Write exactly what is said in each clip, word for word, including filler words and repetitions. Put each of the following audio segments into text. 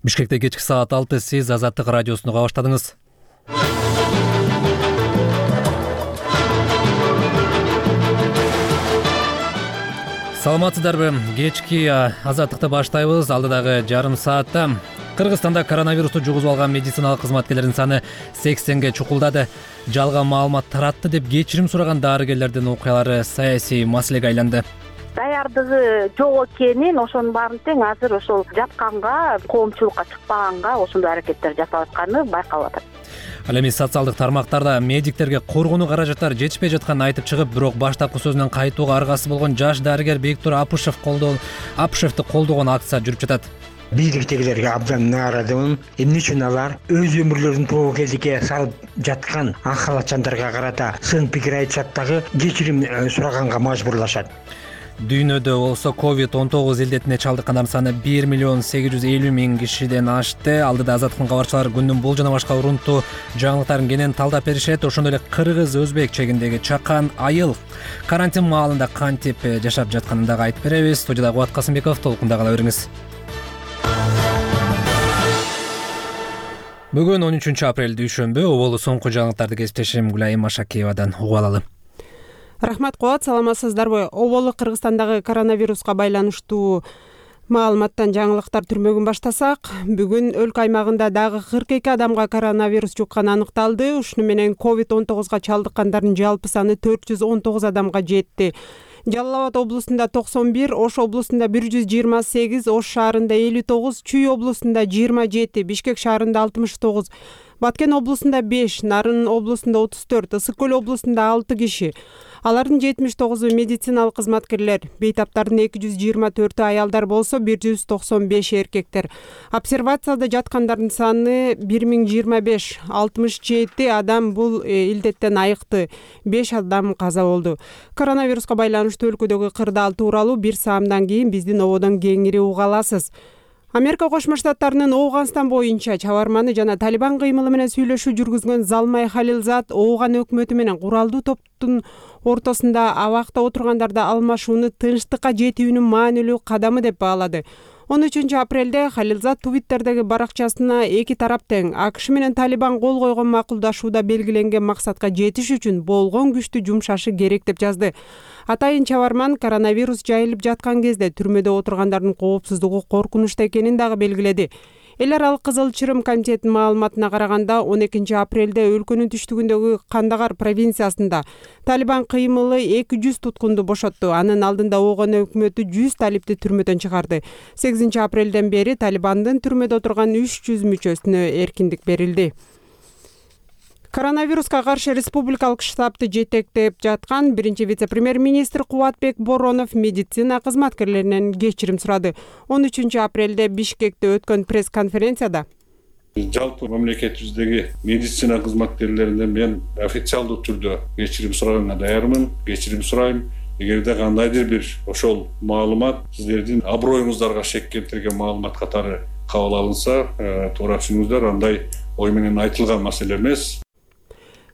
Бишкекте кечки саат алты, сиз Азаттык радиосуну уга баштадыңыз. Саламатсыздарбы? Кечки Азаттыкты баштайбыз. Алдыдагы жарым саатта Кыргызстанда коронавирусту жугузуп алган медициналык кызматкерлердин саны сексенге чукулдады. Жалган маалымат таратты деп кечирим сураган дарыгерлердин окуялары саясий маселеге айланды. Даярдыгы жок экенин, ошонун баарын тең азыр ошол жапканга, коомчулукка чыкпаганга ошондой аракеттер жасап атканы байкалып атат. Ал эми социалдык тармактарда медиктерге коргонуу каражаттары жетишпей жатканын айтып чыгып, бирок баштапкы сөзүнөн кайтууга аргасы болгон жаш дарыгер Бектур Апышев колдоо Апышевди колдогон акция жүрүп жатат. Бийликтегилерге абдан нааразымын. Эмне үчүн алар өз өмүрлөрүн тобокелдикке салып жаткан ак халатчандарга карата сын пикир айтышат дагы кечирим сураганга мажбурлашат. Дүйнөдө болсо ковид он тогуз илдетине чалдыккандардын саны бир миллион сегиз жүз элүү миң кишиден ашты. Алдыда Азаттыктын кабарчылары күндүн бул жана башка урунттуу жаңылыктарын кенен талдап беришет. Ошондой эле кыргыз өзбек чегиндеги чакан айыл карантин маалында кантип жашап жатканын дагы айтып беребиз. Студияда Кубат Касымбеков, толкунда кала бериңиз. Бүгүн он үчүнчү апрель дүйшөмбү. Оболу соңку жаңылыктарды кесиптешим Гүлайым Машакиевадан угуп алалы. Рахмат Кубат, саламатсыздарбы? Оболу Кыргызстандагы коронавируска байланыштуу маалыматтан жаңылыктар түрмөгүн баштасак, бүгүн өлкө аймагында дагы кырк эки адамга коронавирус жукканы аныкталды. Ушуну менен ковид он тогузга чалдыккандардын жалпы саны төрт жүз он тогуз адамга жетти. Жалал Абад облусунда токсон бир, Ош облусунда бир жүз жыйырма сегиз, Ош шаарында элүү тогуз, Чүй облусунда жыйырма жети, Бишкек шаарында алтымыш тогуз, Баткен облусунда беш, Нарын облусунда отуз төрт, Ысык Көл облусунда алты киши. Алардын жетимиш тогузу медициналык кызматкерлер, бейтаптардын эки жүз жыйырма төртү аялдар болсо, бир жүз токсон беш эркектер. Обсервацияда жаткандардын саны бир миң жыйырма беш, алтымыш жети адам бул илдеттен айыкты, беш адам каза болду. Коронавируска байланыштуу өлкөдөгү кырдаал тууралуу бир саамдан кийин биздин ободон кеңири уга аласыз. Америка Кошмо Штаттарынын Ооганстан боюнча чабарманы жана Талибан кыймылы менен сүйлөшүү жүргүзгөн Залмай Халилзад Ооган өкмөтү менен куралдуу топтун ортосунда абакта отургандарды алмашууну тынчтыкка жетүүнүн маанилүү кадамы деп баалады. он үчүнчү апрелде Халилзад Твиттердеги баракчасына эки тарап тең АКШ менен Талибан кол койгон макулдашууда белгиленген максатка жетиш үчүн болгон күчтү жумшашы керек деп жазды. Атайын чабарман коронавирус жайылып жаткан кезде түрмөдө отургандардын коопсуздугу коркунучта экенин дагы белгиледи. Эл аралык Кызыл Чырым комитетинин маалыматына караганда, он экинчи апрелде өлкөнүн түштүгүндөгү Кандагар провинциясында Талибан кыймылы эки жүз туткунду бошотту. Анын алдында Ооган өкмөтү жүз талипти түрмөдөн чыгарды. сегизинчи апрелден бери Талибандын түрмөдө отурган үч жүз мүчөсүнө эркиндик берилди. Коронавируска каршы республикалык штабты жетектеп жаткан биринчи вице-премьер-министр Кубатбек Боронов медицина кызматкерлеринен кечирим сурады. он үчүнчү апрелде Бишкекте өткөн пресс-конференцияда жалпы мамлекетибиздеги медицина кызматкерлеринен мен официалдуу түрдө кечирим сураганга даярмын, кечирим сурайм. Эгерде кандайдыр бир ошол маалымат сиздердин аброюңуздарга шек келтирген маалымат катары кабыл алынса, туура түшүнүңүздөр, андай ой менен айтылган маселе эмес.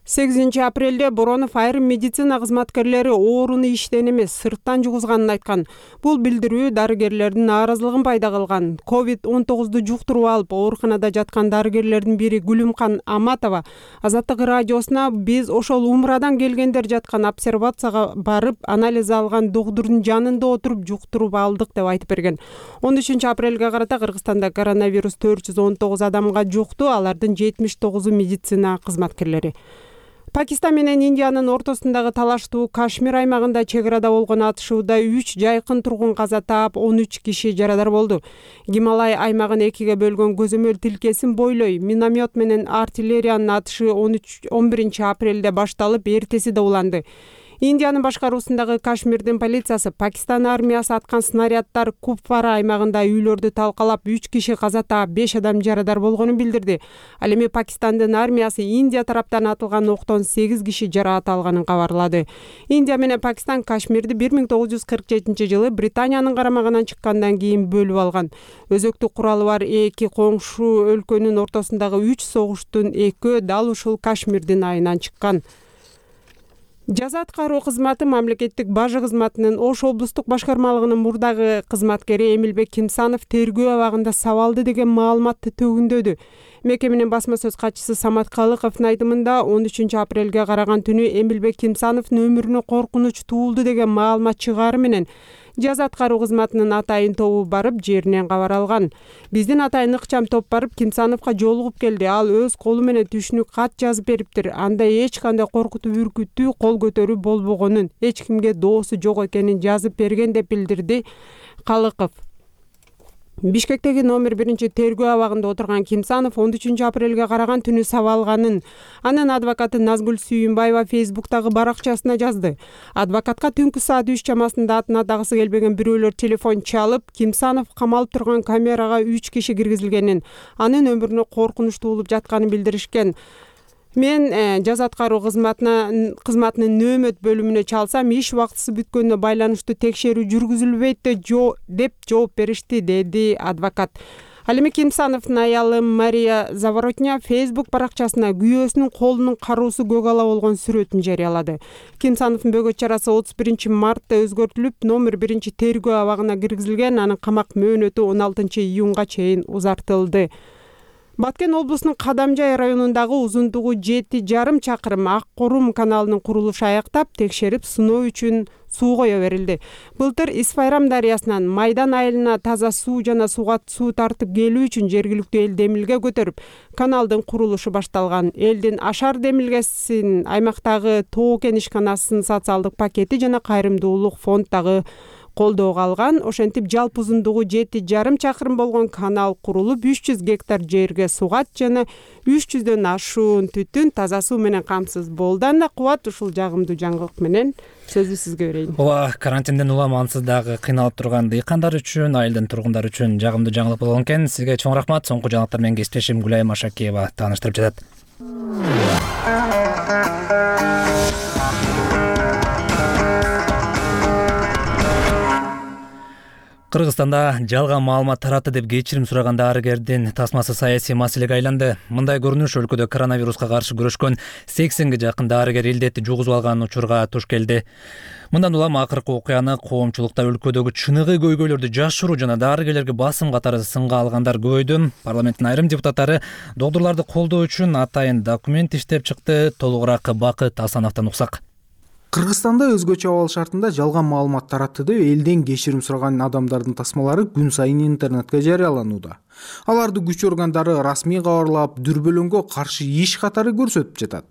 сегизинчи апрелде Боронов айрым медицина кызматкерлери ооруну иштен эмес, сырттан жугузганын айткан. Бул билдирүү дарыгерлердин нааразылыгын пайда кылган. ковид он тогузду жуктуруп алып, ооруканада жаткан дарыгерлердин бири Гүлүмкан Аматова Азаттык радиосуна биз ошол Умрадан келгендер жаткан обсервацияга барып, анализ алган доктурдун жанында отуруп жуктуруп алдык деп айтып берген. он үчүнчү апрелге карата Кыргызстанда коронавирус төрт жүз он тогуз адамга жукту, алардын жетимиш тогузу медицина кызматкерлери. Пакистан менен Индиянын ортосундагы талаштуу Кашмир аймагында чек арада болгон атышууда үч жайкын тургун каза таап, он үч киши жарадар болду. Гималай аймагын экиге бөлгөн көзөмөл тилкесин бойлой миномет менен артиллериянын атышы он биринчи апрелде башталып, эртеси да уланды. Индиянын башкаруусундагы Кашмирдин полициясы Пакистан армиясы аткан снаряддар Купвара аймагында үйлөрдү талкалап, үч киши каза таап, беш адам жарадар болгонун билдирди. Ал эми Пакистандын армиясы Индия тараптан атылган октон сегиз киши жараат алганын кабарлады. Индия менен Пакистан Кашмирди бир миң тогуз жүз кырк жетинчи жылы Британиянын карамагынан чыккандан кийин бөлүп алган. Өзөктүк куралы бар эки коңшу өлкөнүн ортосундагы үч согуштун экөө дал ушул Кашмирдин айынан чыккан. Жаза аткаруу кызматы мамлекеттик бажы кызматынын Ош облустук башкармалыгынын мурдагы кызматкери Эмилбек Кимсанов тергөө абагында сабалды деген маалыматты төгүндөдү. Мекеменин басма сөз катчысы Самат Калыковдун айтымында он үчүнчү апрелге караган түнү Эмилбек Кимсановдун өмүрүнө коркунуч туулду деген маалымат чыгаары менен жаза аткаруу кызматынын атайын тобу барып жеринен кабар алган. Биздин атайын ыкчам топ барып Кимсановго жолугуп келди. Ал өз колу менен түшүнүк кат жазып бериптир. Анда эч кандай коркутуп үркүтүү, кол көтөрүү болбогонун, эч кимге доосу жок экенин жазып берген деп билдирди Калыков. Бишкектеги номер биринчи тергөө абагында отурган Кимсанов он үчүнчү апрелге караган түнү сабалганын анын адвокаты Назгүл Сүйүнбаева Фейсбуктагы баракчасына жазды. Адвокатка түнкү саат үч чамасында атына дагысы келбеген бирөөлөр телефон чалып, Кимсанов камалып турган камерага үч киши киргизилгенин, анын өмүрүнө коркунуч туулуп жатканын билдиришкен. Мен э, жаза аткаруу кызматына кызматынын нөөмөт бөлүмүнө чалсам, иш убактысы бүткөнүнө байланыштуу текшерүү жүргүзүлбөйт деп жооп беришти, деди адвокат. Ал эми Кимсановдун аялы Мария Заворотня Фейсбук баракчасына күйөөсүнүн колунун кароосу көк ала болгон сүрөтүн жарыялады. Кимсановдун бөгөт чарасы отуз биринчи мартта өзгөртүлүп, номер биринчи тергөө абагына киргизилген, анын камак мөөнөтү он алтынчы июнга чейин узартылды. Баткен облусунун Кадамжай районундагы узундугу жети жарым чакырым Ак Корум каналынын курулушу аяктап, текшерип сыноо үчүн суу кое берилди. Былтыр Исфайрам дарыясынан Майдан айылына таза суу жана суга суу тартып келүү үчүн жергиликтүү эл демилге көтөрүп, каналдын курулушу башталган. Элдин Ашар демилгесин, аймактагы Тоо Кен ишканасынын социалдык пакети жана кайрымдуулук фонд дагы колдоого алган. Ошентип жалпы узундугу жети жарым чакырым болгон канал курулуп, үч жүз гектар жерге сугат жана үч жүздөн ашуун түтүн таза суу менен камсыз болду. Анда Кубат ушул жагымдуу жаңылык менен сөздү сизге берейин. Ооба, карантинден улам ансыз дагы кыйналып турган дыйкандар үчүн, айылдын тургундары үчүн жагымдуу жаңылык болгон экен. Сизге чоң рахмат. Соңку жаңылыктар менен кесиптешим Гүлайым Ашакиева тааныштырып жатат. Кыргызстанда жалган маалымат таратты деп кечирим сураган дарыгердин тасмасы саясий маселеге айланды. Мындай көрүнүш өлкөдө коронавируска каршы күрөшкөн сексенге жакын дарыгер илдетти жугузуп алган учурга туш келди. Мындан улам акыркы окуяны коомчулукта өлкөдөгү чыныгы көйгөйлөрдү жашыруу жана дарыгерлерге басым катары сынга алгандар көбөйдү. Парламенттин айрым депутаттары доктурларды колдоо үчүн атайын документ иштеп чыкты. Толугураак Бакыт Асановдон уксак. Кыргызстанда өзгөчө абал шартында жалган маалымат таратты деп элден кечирим сураган адамдардын тасмалары күн сайын интернетке жарыяланууда. Аларды күч органдары расмий кабарлап, дүрбөлөңгө каршы иш катары көрсөтүп жатат.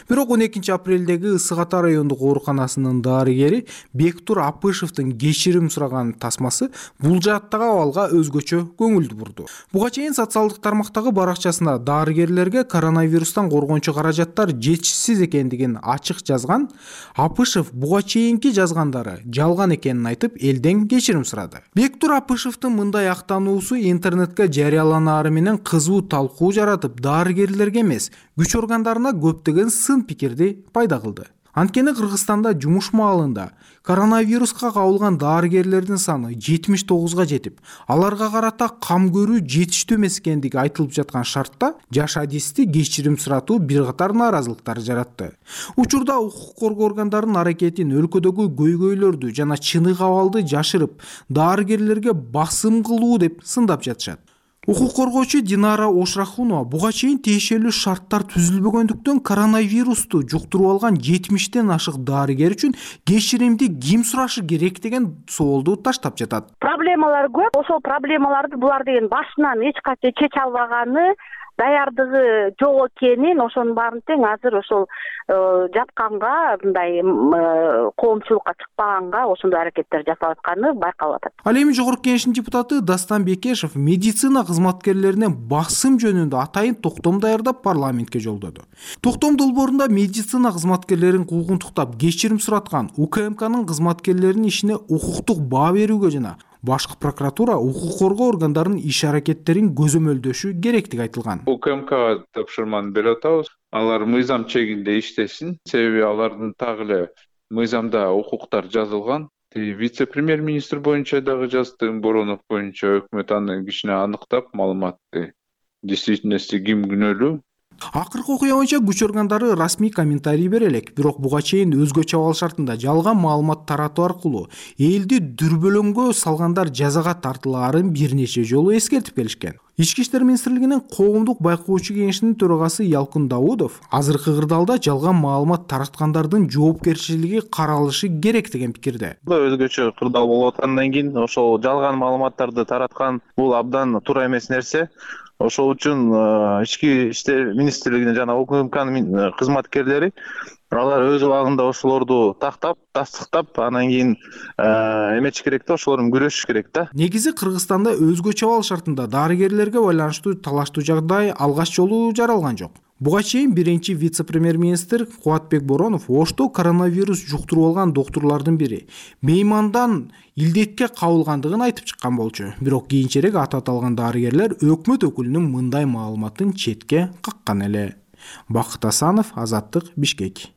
Бирок он экинчи апрелдеги Ысык Ата райондук ооруканасынын дарыгери Бектур Апышевдин кечирим сураган тасмасы бул жааттагы абалга өзгөчө көңүл бурду. Буга чейин социалдык тармактагы баракчасында дарыгерлерге коронавирустан коргоончу каражаттар жетишсиз экендигин ачык жазган Апышев буга чейинки жазгандары жалган экенин айтып, элден кечирим сурады. Бектур Апышевдин мындай актануусу интернетке жарыяланаары менен кызуу талкуу жаратып, дарыгерлерге эмес, күч органдарына көптөгөн сын пикирди пайда кылды. Анткени Кыргызстанда жумуш маалында коронавируска кабылган дарыгерлердин саны жетимиш тогузга жетип, аларга карата кам көрүү жетиштүү эмес экендиги айтылып жаткан шартта жаш адисти кечирим суратуу бир катар нааразылыктар жаратты. Учурда укук коргоо органдарынын аракетин өлкөдөгү көйгөйлөрдү жана чыныгы абалды жашырып, дарыгерлерге басым кылуу деп сындап жатышат. Укук коргоочу Динара Ошрахунова буга чейин тиешелүү шарттар түзүлбөгөндүктөн коронавирусту жуктуруп алган жетимиштен ашык дарыгер үчүн кечиримди ким сурашы керек деген соолду таштап жатат. Проблемалар көп. Ошол проблемаларды булар деген башынан эч качан чече албаганы, даярдыгы жок экенин, ошонун баарын тең азыр ошол жапканга, мындай коомчулукка чыкпаганга ошондой аракеттер жасалып атканы байкалып атат. Ал эми Жогорку Кеңештин депутаты Дастан Бекешев медицина кызматкерлерине басым жөнүндө атайын токтом даярдап парламентке жолдоду. Токтом долбоорунда медицина кызматкерлерин куугунтуктап кечирим сураткан УКМКнын кызматкерлеринин ишине укуктук баа берүүгө жана башкы прокуратура укук коргоо органдарынын иш аракеттерин көзөмөлдөшү керектиги айтылган. УКМКга тапшырманы берип атабыз. Алар мыйзам чегинде иштесин. Себеби алардын так эле мыйзамда укуктар жазылган. Вице-премьер-министр боюнча дагы жазды, Боронов боюнча өкмөт анын кишине аныктап маалыматты. Действительности ким күнөөлүү, Акыркы окуя боюнча күч органдары расмий комментарий бере элек, бирок буга чейин өзгөчө абал шартында жалган маалымат таратуу аркылуу элди дүрбөлөңгө салгандар жазага тартылаарын бир нече жолу эскертип келишкен. Ички иштер министрлигинин коомдук байкоочу кеңешинин төрагасы Ялкын Даудов азыркы кырдаалда жалган маалымат тараткандардын жоопкерчилиги каралышы керек деген пикирде. Өзгөчө кырдаал болуп аткандан кийин ошол жалган маалыматтарды тараткан бул абдан туура эмес нерсе. Ошол үчүн ички иштер министрлигинин жана УКМКнын кызматкерлери алар өз убагында ошолорду тактап, тастыктап, анан кийин эметиш керек да, ошолор менен күрөшүш керек да. Негизи Кыргызстанда өзгөчө абал шартында дарыгерлерге байланыштуу талаштуу жагдай алгач жолу жаралган жок. Буга чейин биринчи вице-премьер-министр Кубатбек Боронов Ошто коронавирус жуктуруп алган доктурлардын бири меймандан илдетке кабылгандыгын айтып чыккан болчу. Бирок кийинчерээк аты аталган дарыгерлер өкмөт өкүлүнүн мындай маалыматын четке каккан эле. Бакыт Асанов, Азаттык, Бишкек.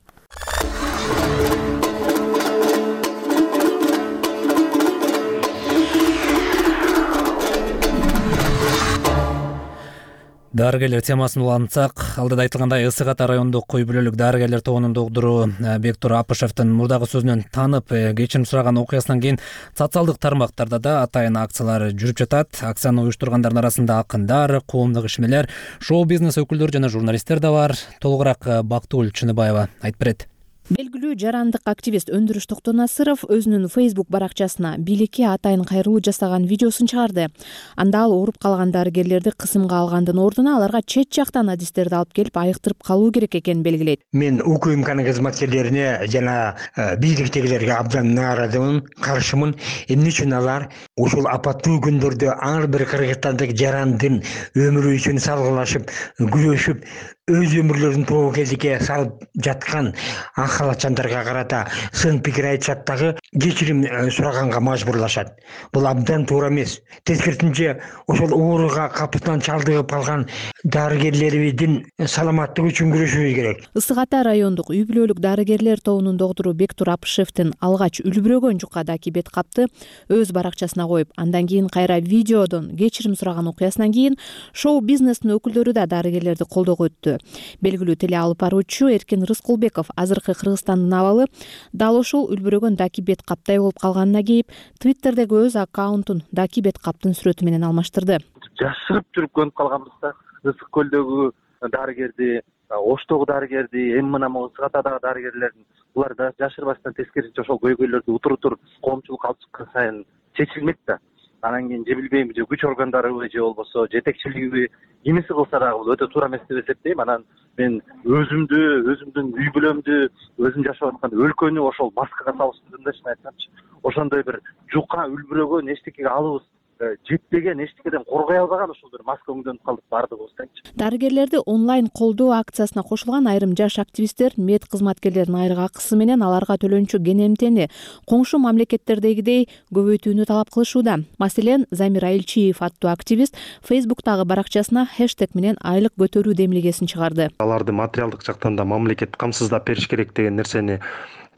Дарыгерлер темасын улантсак, алдыда айтылгандай Ысык Ата райондук кой бүлөлүк дарыгерлер тобунун доктору Бектур Апышевдин мурдагы сөзүнөн танып кечирим сураган окуясынан кийин социалдык тармактарда да атайын акциялар жүрүп жатат. Акцияны уюштургандардын арасында акындар, коомдук ишмерлер, шоу-бизнес өкүлдөрү жана журналисттер да бар. Толугураак Бактыгүл Чыныбаева айтып берет. Белгилүү жарандык активист Өндүрүш Токтонасыров өзүнүн Facebook баракчасына бийликке атайын кайрылуу жасаган видеосун чыгарды. Анда ал ооруп калган дарыгерлерди кысымга алгандын ордуна аларга чет жактан адистерди алып келип айыктырып калуу керек экенин белгилейт. Мен УКМКнын кызматкерлерине жана бийликтегилерге абдан нааразымын, каршымын. Эмне үчүн алар ушул апаттуу күндөрдө ар бир кыргызстандык жарандын өмүрү үчүн салгылашып, күрөшүп, өз өмүрлөрүн тобокелдикке салып жаткан ак халатчандарга карата сын пикир айтышат дагы кечирим сураганга мажбурлашат. Бул абдан туура эмес. Тескерисинче ошол ооруга капысынан чалдыгып калган дарыгерлерибиздин саламаттыгы үчүн күрөшүбүз керек. Ысык Ата райондук үй бүлөлүк дарыгерлер тобунун доктору Бектур Апышевдин алгач үлбүрөгөн жука даки бет капты өз баракчасына коюп, андан кийин кайра видеодон кечирим сураган окуясынан кийин шоу-бизнестин өкүлдөрү да дарыгерлерди колдоого өттү. Белгилүү теле алып баруучу Эркин Рыскулбеков азыркы Кыргызстандын абалы дал ошол үлбүрөгөн даки бет каптай болуп калганына кейип, Твиттердеги өз аккаунтун даки бет каптын сүрөтү менен алмаштырды. Жашырып жүрүп көнүп калганбыз да. Ысык көлдөгү дарыгерди, Оштогу дарыгерди, эми мына Ысык Атадагы дарыгерлердин булар да жашырбастан тескерисинче ошол көйгөйлөрдү утур-утур коомчулук алып чыккан сайын чечилмек да. Анан кийин же билбейм, же күч органдарыбы же болбосо жетекчилигиби кимиси кылса дагы бул өтө туура эмес деп эсептейм. Анан мен өзүмдү, өзүмдүн үй бүлөмдү, өзүм жашап аткан өлкөнү ошол маскага салыштырдым да, чын айтсамчы. Ошондой бир жука үлбүрөгөн эчтекеге алыбыз жетпеген, эчтекеден коргой албаган ошол бир маска өңдөнүп калдык баардыгыбыз дечи. Дарыгерлерди онлайн колдоо акциясына кошулган айрым жаш активисттер мед кызматкерлеринин айрык акысы менен аларга төлөнчү кенемтени коңшу мамлекеттердегидей көбөйтүүнү талап кылышууда. Маселен, Замир Айылчиев аттуу активист Facebook'тагы баракчасына хэштег менен айлык көтөрүү демилгесин чыгарды. Аларды материалдык жактан да мамлекет камсыздап бериш керек деген нерсени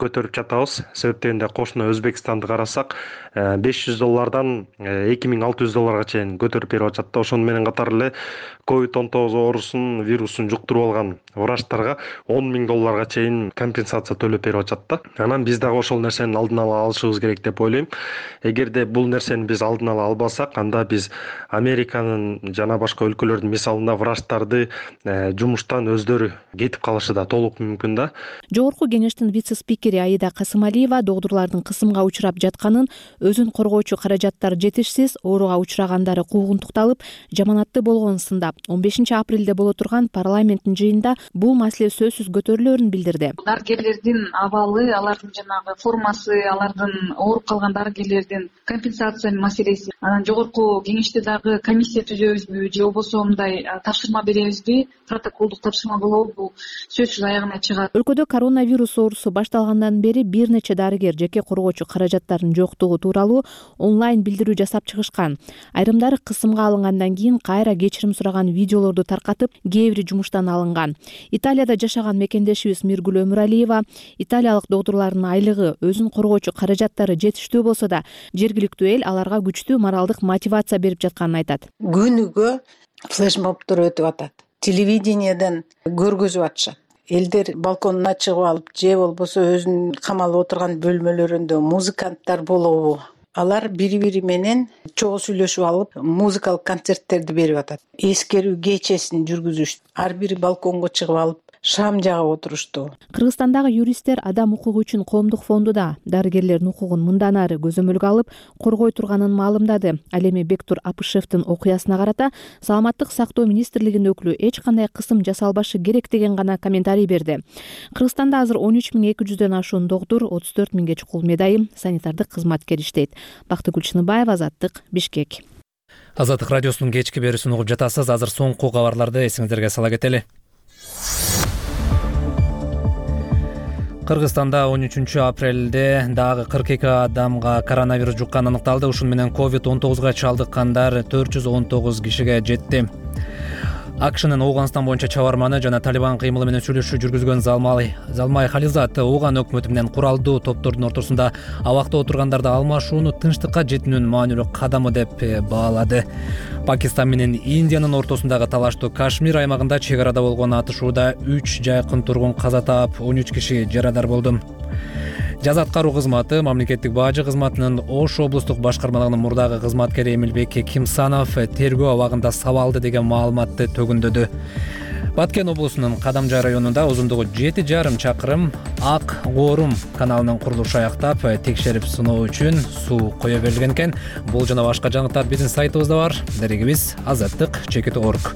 көтөрүп жатабыз. Себептен кошуна Өзбекстанды карасак, беш жүз доллардан эки миң алты жүз долларга чейин көтөрүп берип атат да. Ошону менен катар эле ковид он тогуз оорусун, вирусун жуктуруп алган врачтарга он миң долларга чейин компенсация төлөп берип атат да. Анан биз дагы ошол нерсени алдын ала алышыбыз керек деп ойлойм. Эгерде бул нерсени биз алдын ала албасак, анда биз Американын жана башка өлкөлөрдүн мисалында врачтарды жумуштан өздөрү кетип калышы да толук мүмкүн да. Жогорку кеңештин вице-спикери Аида Касымалиева доктурлардын кысымга учурап жатканын, өзүн коргоочу каражаттар жетишсиз, ооруга учурагандары куугунтукталып, жаманатты болгонун сындап, он бешинчи апрелде боло турган парламенттин жыйынында бул маселе сөзсүз көтөрүлөөрүн билдирди. Дарыгерлердин абалы, алардын жанагы формасы, алардын ооруп калган дарыгерлердин компенсация маселеси, анан жогорку кеңеште дагы комиссия түзөбүзбү же болбосо мындай тапшырма беребизби, протоколдук тапшырма болобу, бул сөзсүз аягына чыгат. Өлкөдө коронавирус оорусу башталгандан бери бир нече дарыгер жеке коргоочу каражаттарынын жоктугу тууралуу онлайн билдирүү жасап чыгышкан. Айрымдары кысымга алынгандан кийин кайра кечирим сураган видеолорду таркатып, кээ бири жумуштан алынган. Италияда жашаган мекендешибиз Миргүл Өмүралиева Италиялык доктурлардын айлыгы, өзүн коргоочу каражаттары жетиштүү болсо да, жергиликтүү эл аларга күчтүү моралдык мотивация берип жатканын айтат. Күнүгө флешмобдор өтүп атат. телевидениеден көргөзүп атышат. Элдер балконуна чыгып алып же болбосо өзүнүн камалып отурган бөлмөлөрүндө музыканттар болобу, алар бири-бири менен чогуу сүйлөшүп алып музыкалык концерттерди берип атат. Эскерүү кечесин жүргүзүштү. Ар бири балконго чыгып алып шам жагып отурушту. Кыргызстандагы юристтер адам укугу үчүн коомдук фонду да дарыгерлердин укугун мындан ары көзөмөлгө алып коргой турганын маалымдады. Ал эми Бектур Апышевдин окуясына карата Саламаттык сактоо министрлигинин өкүлү эч кандай кысым жасалбашы керек деген гана комментарий берди. Кыргызстанда азыр он үч миң эки жүздөн ашуун доктур, отуз төрт миңге чукул медайым, санитардык кызматкер иштейт. Бактыгүл Чыныбаева, Азаттык, Бишкек. Азаттык радиосунун кечки берүүсүн угуп жатасыз. Азыр соңку кабарларды эсиңиздерге сала кетели. Кыргызстанда он үчүнчү апрелде дагы кырк эки адамга коронавирус жукканы аныкталды. Ушун менен ковид он тогузга чалдыккандар төрт жүз он тогуз кишиге жетти. АКШнын Ооганстан боюнча чабарманы жана Талибан кыймылы менен сүйлөшүү жүргүзгөн Залмай Залмай Хализат Ооган өкмөтү менен куралдуу топтордун ортосунда абакта отургандарды алмашууну тынчтыкка жетүүнүн маанилүү кадамы деп баалады. Пакистан менен Индиянын ортосундагы талаштуу Кашмир аймагында чек арада болгон атышууда үч жайкын тургун каза таап, он үч киши жарадар болду. Жаза аткаруу кызматы мамлекеттик бажы кызматынын Ош облустук башкармалыгынын мурдагы кызматкери Эмилбек Кимсанов тергөө абагында сабалды деген маалыматты төгүндөдү. Баткен облусунун Кадамжай районунда узундугу жети жарым чакырым Ак Гоорум каналынын курулушу аяктап, текшерип сыноо үчүн суу кое берилген экен. Бул жана башка жаңылыктар биздин сайтыбызда бар. Дарегибиз азаттык чекит точка орг.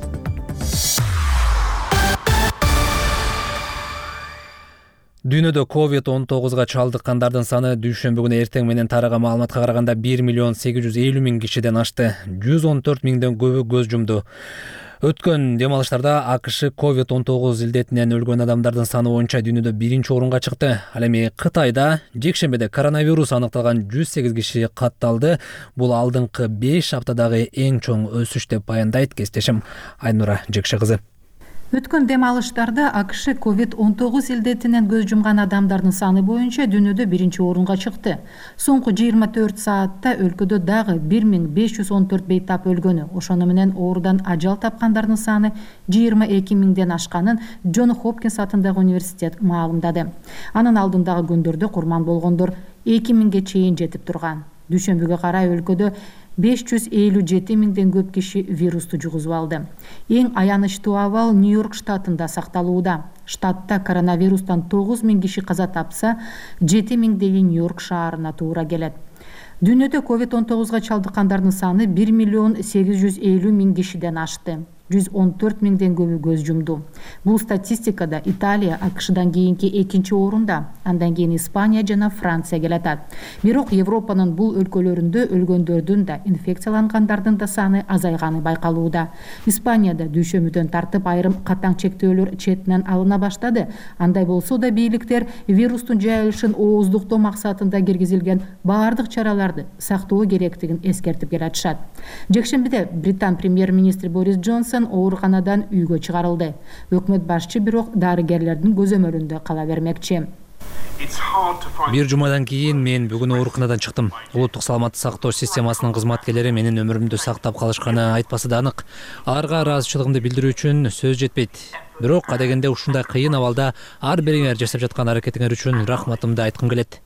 Дүйнөдө ковид он тогузга чалдыккандардын саны дүйшөмбү күнү эртең менен тараган маалыматка караганда бир миллион сегиз жүз элүү миң кишиден ашты. жүз он төрт миңден көбү көз жумду. Өткөн дем алыштарда АКШ ковид он тогуз илдетинен өлгөн адамдардын саны боюнча дүйнөдө биринчи орунга чыкты. Ал эми Кытайда жекшембиде коронавирус аныкталган жүз сегиз киши катталды. Бул алдыңкы беш аптадагы эң чоң өсүш деп баяндайт кесиптешим Айнура Жекше кызы. Өткөн дем алыштарда АКШ ковид он тогуз илдетинен көз жумган адамдардын саны боюнча дүйнөдө биринчи орунга чыкты. Соңку жыйырма төрт саатта өлкөдө дагы бир миң беш жүз он төрт бейтап өлгөнү, ошону менен оорудан ажал тапкандардын саны жыйырма эки миңден ашканын Джон Хопкинс атындагы университет маалымдады. Анын алдындагы күндөрдө курман болгондор эки миңге чейин жетип турган. Дүйшөмбүгө карай өлкөдө беш жүз элүү жети миңден көп киши вирусту жугузуп алды. Эң аянычтуу абал Нью-Йорк штатында сакталууда. Штатта коронавирустан тогуз миң киши каза тапса, жети миңдеги Нью-Йорк шаарына туура келет. Дүйнөдө ковид он тогузга чалдыккандардын саны бир миллион сегиз жүз элүү миң кишиден ашты. жүз он төрт миңден көбү көз жумду. Бул статистикада Италия АКШдан кийинки экинчи орунда, андан кийин Испания жана Франция келатат. Бирок Европанын бул өлкөлөрүндө өлгөндөрдүн да, инфекциялангандардын да саны азайганы байкалууда. Испанияда дүйшөмбүдөн тартып айрым катаң чектөөлөр четинен алына баштады. Андай болсо да бийликтер вирустун жайылышын ооздуктоо максатында киргизилген баардык чараларды сактоо керектигин эскертип келатышат. Жекшембиде Британ премьер-министри Борис Джонсон ооруканадан үйгө чыгарылды. Өкмөт башчы бирок дарыгерлердин көзөмөлүндө кала бермекчи. Бир жумадан кийин мен бүгүн ооруканадан чыктым. Улуттук саламаттык сактоо системасынын кызматкерлери менин өмүрүмдү сактап калышканы айтпасы да анык. Аларга ыраазычылыгымды билдирүү үчүн сөз жетпейт. Бирок адегенде ушундай кыйын абалда ар бириңер жасап жаткан аракетиңер үчүн рахматымды айткым келет.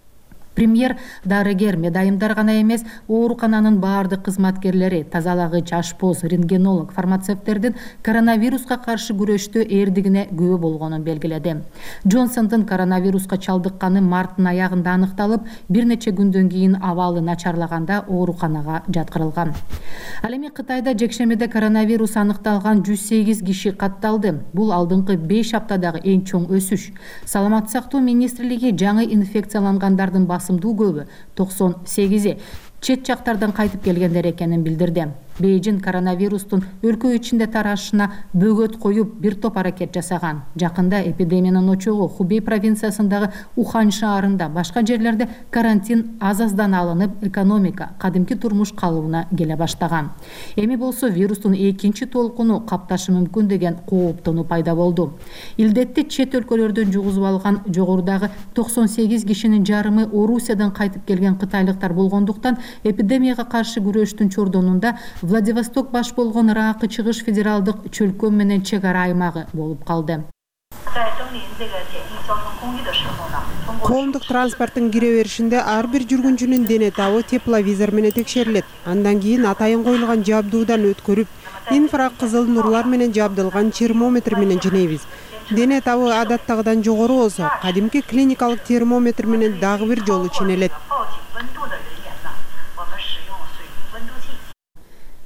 Премьер дарыгер, медайымдар гана эмес, оорукананын баардык кызматкерлери, тазалагыч, ашпоз, рентгенолог, фармацевттердин коронавируска каршы күрөштө эрдигине күбө болгонун белгиледи. Джонсондун коронавируска чалдыкканы марттын аягында аныкталып, бир нече күндөн кийин абалы начарлаганда ооруканага жаткырылган. Ал эми Кытайда жекшембиде коронавирус аныкталган жүз сегиз киши катталды. Бул алдыңкы беш аптадагы эң чоң өсүш. Саламаттык сактоо министрлиги жаңы инфекциялангандардын басымдуу көбү токсон сегизи чет жактардан кайтып келгендер экенин билдирди. Бейжин коронавирустун өлкө ичинде тарашына бөгөт коюп бир топ аракет жасаган. Жакында эпидемиянын очогу Хубей провинциясындагы Ухань шаарында, башка жерлерде карантин аз-аздан алынып, экономика, кадимки турмуш калыбына келе баштаган. Эми болсо вирустун экинчи толкуну капташы мүмкүн деген кооптонуу пайда болду. Илдетти чет өлкөлөрдөн жугузуп алган жогорудагы токсон сегиз кишинин жарымы Орусиядан кайтып келген кытайлыктар болгондуктан эпидемияга каршы күрөштүн чордонунда Владивосток баш болгон Ыракы чыгыш федералдык чөлкөм менен чек ара аймагы болуп калды. Коомдук транспорттун кире беришинде ар бир жүргүнчүнүн дене табы тепловизор менен текшерилет. Андан кийин атайын коюлган жабдуудан өткөрүп, инфракызыл нурлар менен жабдылган термометр менен жинейбиз. Дене табы адаттагыдан жогору болсо, кадимки клиникалык термометр менен дагы бир жолу чинелет.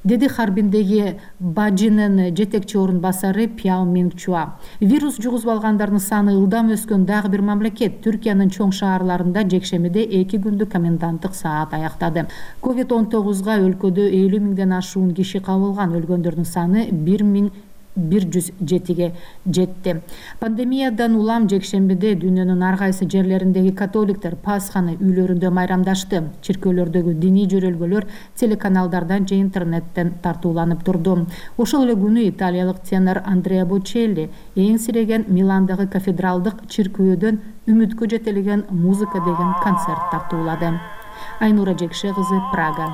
Деди Харбиндеги Бажинын жетекчи орун басары Пяо Мингчуа. Вирус жугузуп алгандардын саны ылдам өскөн дагы бир мамлекет Түркиянын чоң шаарларында жекшембиде эки күндүк коменданттык саат аяктады. ковид он тогузга өлкөдө элүү миңден ашуун киши кабылган, өлгөндөрдүн саны бир миң бир жүз жетиге жетти. Пандемиядан улам жекшембиде дүйнөнүн ар кайсы жерлериндеги католиктер Пасханы үйлөрүндө майрамдашты. Чиркөөлөрдөгү диний жөрөлгөлөр телеканалдардан же интернеттен тартууланып турду. Ошол эле күнү италиялык тенор Андреа Бочелли эң сиреген Миландагы кафедралдык чиркөөдөн үмүткө жетелеген музыка деген концерт тартуулады. Айнура Жекше кызы, Прага.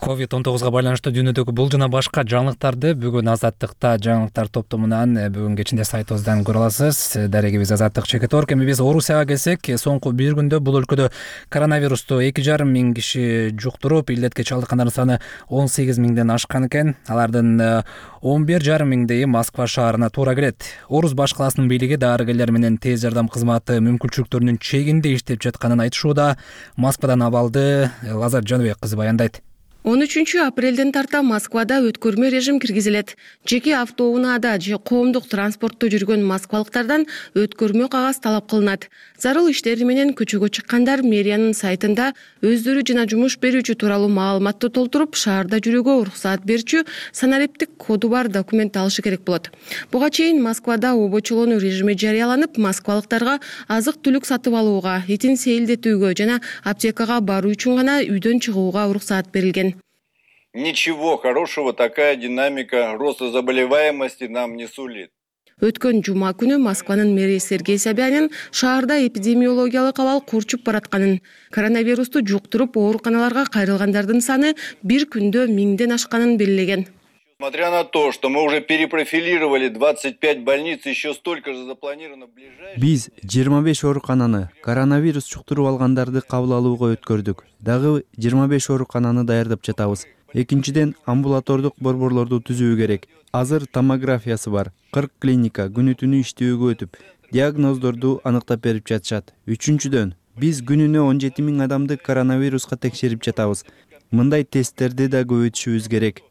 ковид он тогузга байланыштуу дүйнөдөгү бул жана башка жаңылыктарды бүгүн Азаттыкта жаңылыктар топтомунан бүгүн кечинде сайтыбыздан көрө аласыз. Дарегибиз Азаттык Чекеторг. Эми биз Орусияга келсек, соңку бир күндө бул өлкөдө коронавирусту эки жарым миң киши жуктуруп, илдетке чалдыккандардын саны он сегиз миңден ашкан экен. Алардын он бир жарым миңдеги Москва шаарына туура келет. Орус баш каласынын бийлиги дарыгерлер менен тез жардам кызматы мүмкүнчүлүктөрүнүн чегинде иштеп жатканын айтышууда. Москвадан абалды Лазар Жаныбек кызы баяндайт. он үчүнчү апрелден тарта Москвада өткөрмө режим киргизилет. Жеке автоунаада же коомдук транспортто жүргөн москвалыктардан өткөрмө кагаз талап кылынат. Зарыл иштери менен көчөгө чыккандар мэриянын сайтында өздөрү жана жумуш берүүчү тууралуу маалыматты толтуруп, шаарда жүрүүгө уруксаат берүүчү санариптик коду бар документ алышы керек болот. Буга чейин Москвада обочолонуу режими жарыяланып, москвалыктарга азык-түлүк сатып алууга, этин сейилдетүүгө жана аптекага баруу үчүн гана үйдөн чыгууга уруксаат берилген. Ничего хорошего такая динамика роста заболеваемости нам не сулит. Өткөн жума күнү Москванын мэри Сергей Собянин шаарда эпидемиологиялык абал курчуп баратканын, коронавирусту жуктуруп ооруканаларга кайрылгандардын саны бир күндө миңден ашканын белгилеген. Несмотря на то, что мы уже перепрофилировали двадцать пять больниц, еще столько же запланировано в ближайшие... Биз жыйырма беш оорукананы коронавирус жуктуруп алгандарды кабыл алууга өткөрдүк. Дагы жыйырма беш оорукананы даярдап жатабыз. Экинчиден, амбулатордук борборлорду түзүү керек. Азыр томографиясы бар. кырк клиника күнү түнү иштөөгө өтүп, диагноздорду аныктап берип жатышат. Үчүнчүдөн, биз күнүнө он жети миң адамды коронавируска текшерип жатабыз. Мындай тесттерди да көбөйтүшүбүз керек.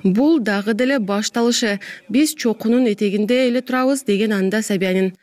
Бул дагы деле башталышы. Биз чокунун этегинде эле турабыз, деген анда Собянин.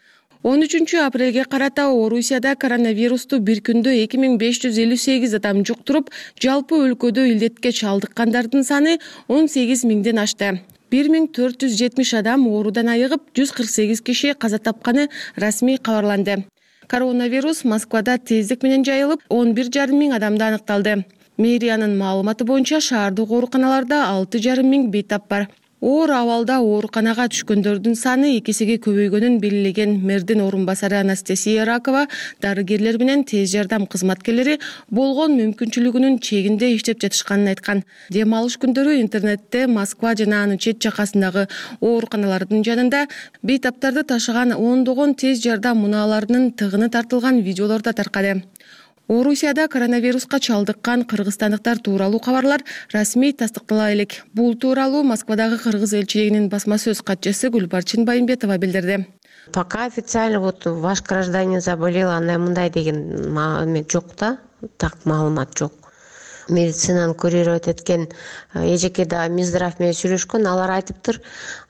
он үчүнчү апрелге карата Орусияда коронавирусту бир күндө эки миң беш жүз элүү сегиз адам жуктуруп, жалпы өлкөдө илдетке чалдыккандардын саны он сегиз миңден ашты. бир миң төрт жүз жетимиш адам оорудан айыгып, жүз кырк сегиз киши каза тапканы расмий кабарланды. Коронавирус Москвада тездик менен жайылып, он бир жарым миң адамда аныкталды. Мэриянын маалыматы боюнча шаардык ооруканаларда алты жарым миң бейтап бар. Оор абалда ооруканага түшкөндөрдүн саны эки эсеге көбөйгөнүн белгилеген мэрдин орун басары Анастасия Ракова дарыгерлер менен тез жардам кызматкерлери болгон мүмкүнчүлүгүнүн чегинде иштеп жатышканын айткан. Дем алыш күндөрү интернетте Москва жана анын чет жакасындагы ооруканалардын жанында бейтаптарды ташыган ондогон тез жардам мунааларынын тыгыны тартылган видеолор да таркады. Орусияда коронавируска чалдыккан кыргызстандыктар тууралуу кабарлар расмий тастыктала элек. Бул тууралуу Москвадагы кыргыз элчилигинин басма сөз катчысы Гүлбарчын Байымбетова билдирди. Пока официально вот ваш гражданин заболел, андай мындай деген маалымат жок да, так маалымат жок. Медицинаны курировать эткен эжеке да Минздрав менен сүйлөшкөн, алар айтыптыр,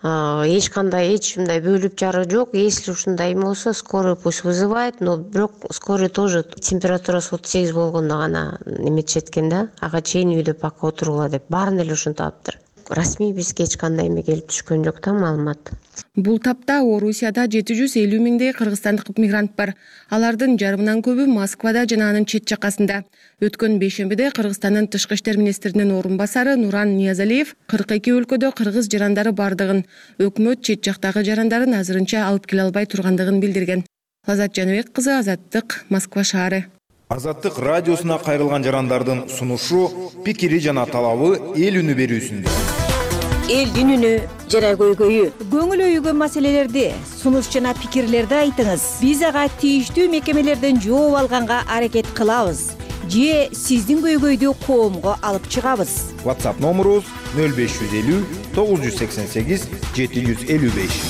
эч кандай эч мындай бөлүп жаруу жок. Если ушундай болсо, скорый пусть вызывает, но бирок скорый тоже температурасы отуз сегиз болгондо гана эметишет экен да. Ага чейин үйдө пока отургула деп баарын эле ушинтиптыр. Расмий бизге эч кандай эме келип түшкөн жок да маалымат. Бул тапта Орусияда жети жүз элүү миңдей кыргызстандык мигрант бар. Алардын жарымынан көбү Москвада жана анын чет жакасында. Өткөн бейшембиде Кыргызстандын тышкы иштер министринин орун басары Нуран Ниязалиев кырк эки өлкөдө кыргыз жарандары бардыгын, өкмөт чет жактагы жарандарын азырынча алып келе албай тургандыгын билдирген. Азат Жаныбек кызы, Азаттык, Москва шаары. Азаттык радиосуна кайрылган жарандардын сунушу, пикири жана талабы эл үнү берүүсүндө. Элдин үнү жана көйгөйү, көңүл өйгөн маселелерди, сунуш жана пикирлерди айтыңыз. Биз ага тийиштүү мекемелерден жооп алганга аракет кылабыз. Же сиздин көйгөйдү коомго алып чыгабыз. WhatsApp номерубуз нөл беш жүз элүү тогуз жүз сексен сегиз жети жүз элүү беш.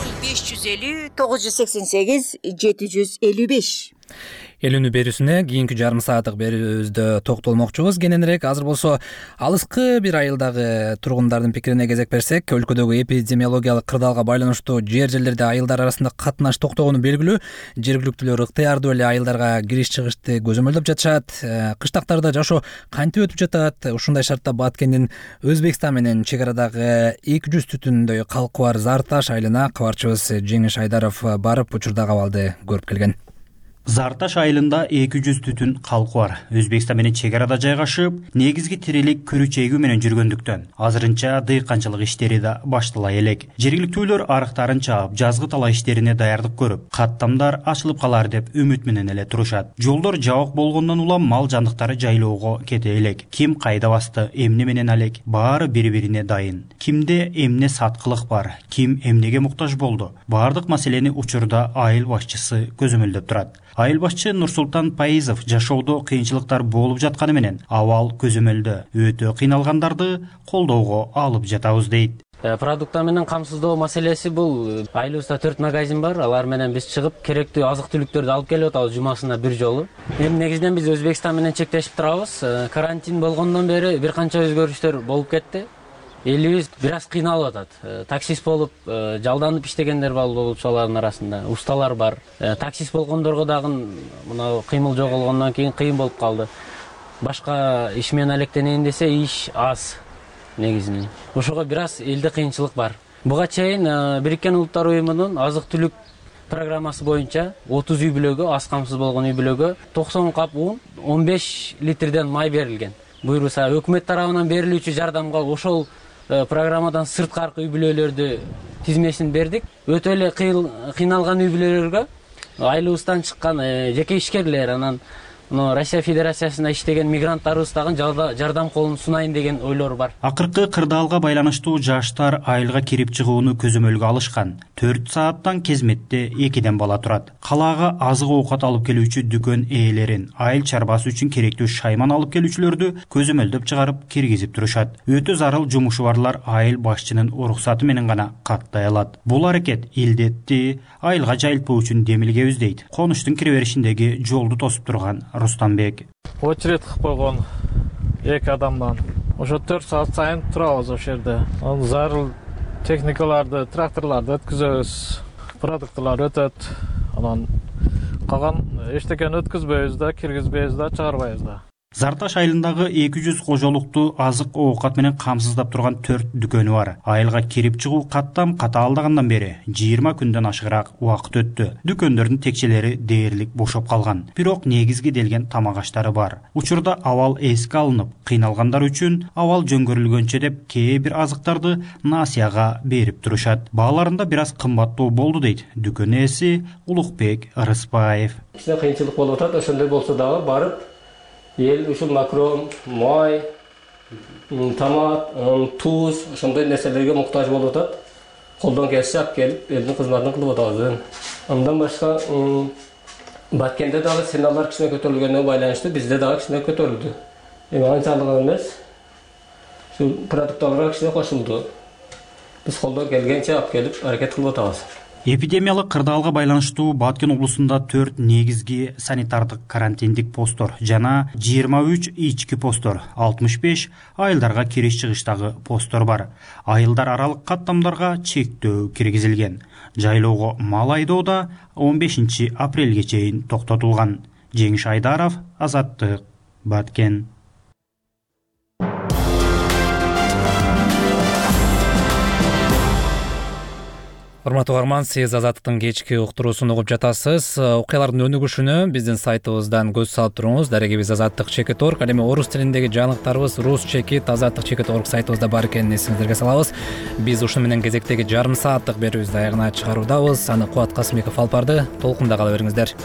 нөл беш жүз элүү тогуз жүз сексен сегиз жети жүз элүү беш. Эл үнү берүүсүнө кийинки жарым сааттык берүүбүздө токтолмокчубуз. Кененирээк азыр болсо алыскы бир айылдагы тургундардын пикирине кезек берсек, өлкөдөгү эпидемиологиялык кырдаалга байланыштуу жер жерлерде айылдар арасында катнаш токтогону белгилүү. Жергиликтүүлөр ыктыярдуу эле айылдарга кириш-чыгышты көзөмөлдөп жатышат. Кыштактарда жашоо кантип өтүп жатат? Ушундай шартта Баткендин Өзбекстан менен чек арадагы эки жүз түтүндөй калкы бар Зарташ айылына кабарчыбыз Жеңиш Айдаров барып учурдагы абалды көрүп келген. Зарташ айылында эки жүз түтүн калкы бар. Өзбекстан менен чек арада жайгашып, негизги тирелик күрүч эгүү менен жүргөндүктөн азырынча дыйканчылык иштери да баштала элек. Жергиликтүүлөр арыктарын чаап, жазгы талаа иштерине даярдык көрүп, каттамдар ачылып калар деп үмүт менен эле турушат. Жолдор жабык болгондон улам мал жандыктары жайлоого кете элек. Ким кайда басты, эмне менен алек, баары бири-бирине дайын. Кимде эмне саткылык бар, ким эмнеге муктаж болду. Баардык маселени учурда айыл башчысы көзөмөлдөп турат. Айыл башчы Нурсултан Пайызов жашоодо кыйынчылыктар болуп жатканы менен абал көзөмөлдө өтө кыйналгандарды колдоого алып жатабыз дейт. Продуктар менен камсыздоо маселеси бул айылыбызда төрт магазин бар. Алар менен биз чыгып керектүү азык-түлүктөрдү алып келип атабыз жумасына бир жолу. Эми негизинен биз Өзбекстан менен чектешип турабыз. Карантин болгондон бери бир канча өзгөрүштөр болуп кетти. Элибиз бир аз кыйналып атат. Таксист болуп, жалданып иштегендер бар болуп алардын арасында. Усталар бар. Таксист болгондорго дагы мына кыймыл жоголгондон кийин кыйын болуп калды. Башка иш менен алектенейин десе иш аз негизинен. Ошого бир аз элде кыйынчылык бар. Буга чейин Бириккен Улуттар уюмунун азык-түлүк программасы боюнча отуз үй бүлөгө, аз камсыз болгон үй бүлөгө токсон кап ун, он беш литрден май берилген. Буйруса өкмөт тарабынан берилүүчү жардамга ошол программадан сырткаркы үй бүлөлөрдү тизмесин бердик. Өтө эле кыйналган үй бүлөлөргө айылыбыздан чыккан жеке ишкерлер, анан Россия Федерациясында иштеген мигранттарыбыз дагы жардам колун сунайын деген ойлор бар. Акыркы кырдаалга байланыштуу жаштар айылга кирип чыгууну көзөмөлгө алышкан. төрт сааттан кезметте экиден бала турат. Калаага азык оокат алып келүүчү дүкөн ээлерин, айыл чарбасы үчүн керектүү шайман алып келүүчүлөрдү көзөмөлдөп чыгарып киргизип турушат. Өтө зарыл жумушу барлар айыл башчынын уруксаты менен гана каттай алат. Бул аракет илдетти айылга жайылтпоо үчүн демилгебиз дейт конуштун киреберишиндеги жолду тосуп турган Рустамбек. Очередь кылып койгон эки адамдан. Ошо төрт саат сайын турабыз ошол жерде. Анан зарыл техникаларды, тракторларды өткүзөбүз. Продукталар өтөт. Анан калган эчтекени өткүзбөйбүз да, киргизбейбиз да, чыгарбайбыз да. Зарташ айылындагы эки жүз кожолукту азык оокат менен камсыздап турган төрт дүкөнү бар. Айылга кирип чыгуу каттам катаалдагандан бери жыйырма күндөн ашыгыраак убакыт өттү. Дүкөндөрдүн текчелери дээрлик бошоп калган. Бирок негизги делген тамак аштары бар. Учурда абал эске алынып, кыйналгандар үчүн абал жөнгөрүлгөнчө деп кээ бир азыктарды насыяга берип турушат. Бааларында бир аз кымбаттоо болду дейт дүкөн ээси Улукбек Арыспаев. Кичине кыйынчылык болуп атат, ошондой болсо дагы барып эл ушул макрон, май, томат, туз, ошондой нерселерге муктаж болуп атат. Колдон келсе алып келип, элдин кызматын кылып атабыз. Андан башка Баткенде дагы ценалар кичине көтөрүлгөнүнө байланыштуу бизде дагы кичине көтөрүлдү. Эми анчалык эмес. Ушул продукталарга кичине кошулду. Биз колдон келгенче алып келип аракет кылып атабыз. Эпидемиялык кырдаалга байланыштуу Баткен облусунда төрт негизги санитардык карантиндик посттор жана жыйырма үч ички посттор, алтымыш беш айылдарга кириш-чыгыштагы посттор бар. Айылдар аралык каттамдарга чектөө киргизилген. Жайлоого мал айдоо да он бешинчи апрелге чейин токтотулган. Жеңиш Айдаров, Азаттык, Баткен. Урматтуу угарман, сиз Азаттыктын кечки уктуруусун угуп жатасыз. Окуялардын өнүгүшүнө биздин сайтыбыздан көз салып туруңуз. Дарегибиз азаттык чекит точка орг. Ал эми орус тилиндеги жаңылыктарыбыз рус чекит азаттык чекит точка орг сайтыбызда бар экенин эсиңиздерге салабыз. Биз ушуну менен кезектеги жарым сааттык берүүбүздү аягына чыгаруудабыз. Аны Кубат Касымбеков алып барды. Толкунда кала бериңиздер.